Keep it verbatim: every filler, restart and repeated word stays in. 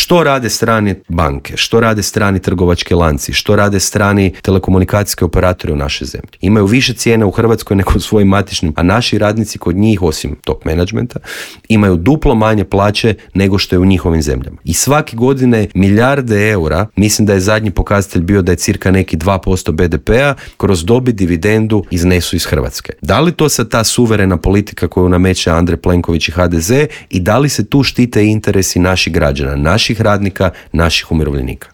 Što rade strane banke, što rade strani trgovački lanci, što rade strani telekomunikacijski operatori u našoj zemlji. Imaju više cijene u Hrvatskoj nego u svojim matičnim, a naši radnici kod njih, osim top menadžmenta, imaju duplo manje plaće nego što je u njihovim zemljama. I svake godine milijarde eura, mislim da je zadnji pokazatelj bio da je cirka neki dva posto be de pea, kroz dobit dividendu iznesu iz Hrvatske. Da li to sad ta suverena politika koju nameće Andrej Plenković i ha de ze i da li se tu štite interesi naših građana, naših radnika, naših umirovljenika?